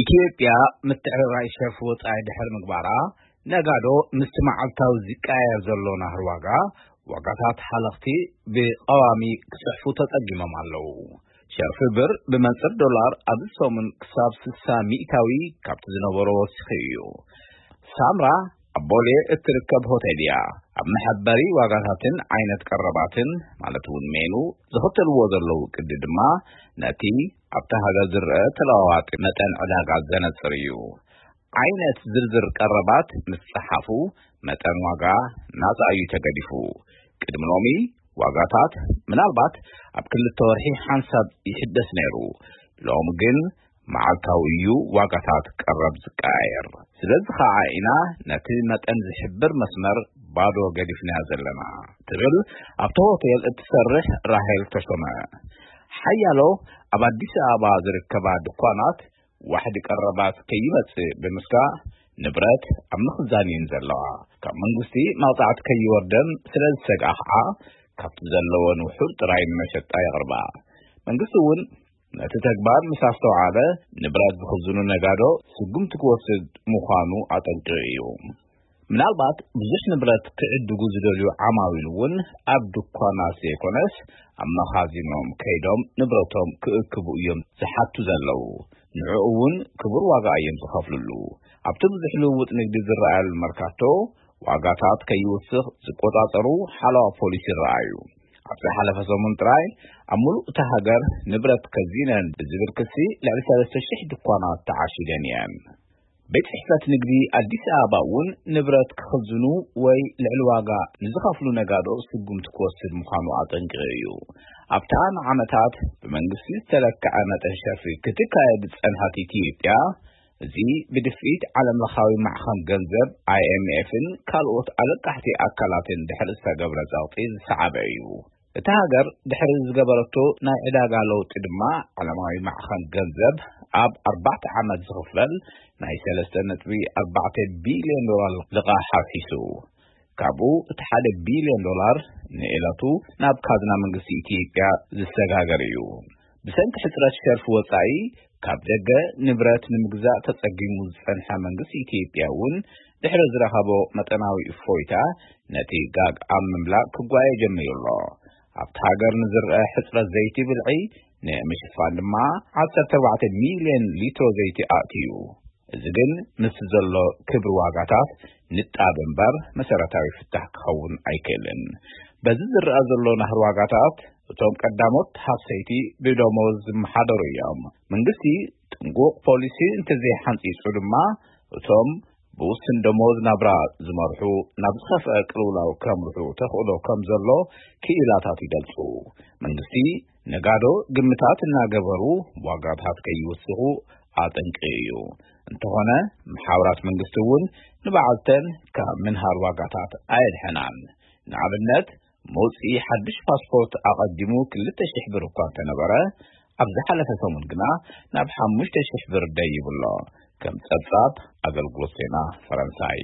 ኢትዮጵያ ምትዕርራይ ሸርፊ ወጻኢ ድሕሪ ምግባራ፣ ነጋዶ ምስቲ መዓልታዊ ዝቀያየር ዘሎ ናህሪ ዋጋ፣ ዋጋታት ሓለኽቲ ብቐዋሚ ክጽሕፉ ተጸጊሞም ኣለዉ። ሸርፊ ብር ብመንጽር ዶላር ኣብዚ ሰሙን ክሳብ ስሳ ሚእታዊ ካብቲ ዝነበሮ ወሲኹ እዩ። ሳምራ ኣብ ቦሌ እትርከብ ሆቴል እያ። ኣብ መሐበሪ ዋጋታትን ዓይነት ቀረባትን፣ ማለት እውን ሜኑ፣ ዝኽተልዎ ዘለዉ ቅዲ ድማ ነቲ ኣብታ ሃገር ዝረአ ተለዋዋጢ መጠን ዕዳጋ ዘነጽር እዩ። ዓይነት ዝርዝር ቀረባት ምስ ጸሓፉ፣ መጠን ዋጋ ናጻ እዩ ተገዲፉ። ቅድሚ ሎሚ ዋጋታት ምናልባት ኣብ ክልተ ወርሒ ሓንሳብ ይሕደስ ነይሩ። ሎሚ ግን መዓልታዊ እዩ ዋጋታት ቀረብ ዝቀያየር። ስለዚ ኸዓ ኢና ነቲ መጠን ዝሕብር መስመር ባዶ ገዲፍናዮ ዘለና፣ ትብል ኣብቲ ሆቴል እትሰርሕ ራሄል ተሾመ። ሓያሎ ኣብ ኣዲስ ኣበባ ዝርከባ ድኳናት ዋሕዲ ቀረባት ከይመጽእ ብምስጋእ፣ ንብረት ኣብ ምኽዛን እየን ዘለዋ። ካብ መንግስቲ መቕጻዕቲ ከይወርደን ስለ ዝሰግኣ ኸዓ፣ ካብቲ ዘለወን ውሑድ ጥራይ ንመሸጣ የቕርባ። መንግስቲ እውን ነቲ ተግባር ምስ ኣስተውዓለ፣ ንብረት ዝኽዝኑ ነጋዶ ስጉምቲ ክወስድ ምዃኑ ኣጠንቂቑ እዩ። ምናልባት ብዙሕ ንብረት ክዕድጉ ዝደልዩ ዓማዊል እውን ኣብ ድኳናት ዘይኮነስ፣ ኣብ መኻዚኖም ከይዶም ንብረቶም ክእክቡ እዮም ዝሓቱ ዘለዉ። ንዕኡ እውን ክቡር ዋጋ እዮም ዝኸፍልሉ። ኣብቲ ብዙሕ ልውውጥ ንግዲ ዝረኣየሉ መርካቶ፣ ዋጋታት ከይውስኽ ዝቆጻጸሩ ሓለዋ ፖሊስ ይረኣዩ። ኣብ ዝሓለፈ ሰሙን ጥራይ፣ ኣብ ሙሉእ እታ ሃገር ንብረት ከዚነን ብዝብል ክሲ ልዕሊ ሰለስተ ሽሕ ድኳናት ተዓሺገን እየን። ቤት ጽሕፈት ንግዲ ኣዲስ ኣበባ እውን ንብረት ክኽዝኑ ወይ ልዕሊ ዋጋ ንዝኸፍሉ ነጋዶ ስጉምቲ ክወስድ ምዃኑ ኣጠንቂቑ እዩ። ኣብታ ንዓመታት ብመንግስቲ ዝተለክዐ መጠን ሸርፊ ክትካየድ ዝጸንሐት ኢትዮጵያ፣ እዚ ብድፍኢት ዓለም ለኻዊ ማዕኸን ገንዘብ ኣይ ኤም ኤፍን ካልኦት ኣለቃሕቲ ኣካላትን ድሕሪ ዝተገብረ ጸቕጢ ዝሰዓበ እዩ። እታ ሃገር ድሕሪ ዝገበረቶ ናይ ዕዳጋ ለውጢ ድማ፣ ዓለማዊ ማዕኸን ገንዘብ ኣብ ኣርባዕተ ዓመት ዝኽፈል ናይ ሰለስተ ነጥቢ ኣርባዕተ ቢልዮን ዶላር ልቓሕ ኣፍሲሱ። ካብኡ እቲ ሓደ ቢልዮን ዶላር ንዕለቱ ናብ ካዝና መንግስቲ ኢትዮጵያ ዝሰጋገር እዩ። ብሰንኪ ሕጽረት ሸርፊ ወጻኢ፣ ካብ ደገ ንብረት ንምግዛእ ተጸጊሙ ዝጸንሐ መንግስቲ ኢትዮጵያ እውን፣ ድሕሪ ዝረኸቦ መጠናዊ እፎይታ፣ ነቲ ጋግ ኣብ ምምላእ ክጓየ ጀሚሩ ኣሎ። ኣብቲ ሃገር ንዝረአ ሕጽረት ዘይቲ ብልዒ ንምሽፋን ድማ፣ ዓሰርተ ኣርባዕተ ሚልዮን ሊትሮ ዘይቲ ኣእትዩ። እዚ ግን ምስቲ ዘሎ ክብሪ ዋጋታት ንጣብ እምበር መሰረታዊ ፍታሕ ክኸውን ኣይክእልን። በዚ ዝረኣ ዘሎ ናህሪ ዋጋታት፣ እቶም ቀዳሞት ሃፍሰይቲ ብደሞዝ ዝመሓደሩ እዮም። መንግስቲ ጥንቁቕ ፖሊሲ እንተዘይሓንጺጹ ድማ፣ እቶም ብውስን ደሞዝ ናብራ ዝመርሑ ናብ ዝኸፍአ ቅልውላው ከምርሑ ተኽእሎ ከም ዘሎ ክኢላታት ይገልጹ። መንግስቲ ነጋዶ ግምታት እናገበሩ ዋጋታት ከይውስኹ ኣጠንቂቑ እዩ። እንተኾነ፣ መሓውራት መንግስቲ እውን ንበዓልተን ካብ ምንሃር ዋጋታት ኣየድሐናን። ንኣብነት፣ መውፅኢ ሓድሽ ፓስፖርት ኣቐዲሙ ክልተ ሽሕ ብር እኳ እንተነበረ፣ ኣብ ዝሓለፈ ሰሙን ግና ናብ ሓሙሽተ ሽሕ ብር ደይቡ ኣሎ። ከም ጸብጻብ ኣገልግሎት ዜና ፈረንሳይ።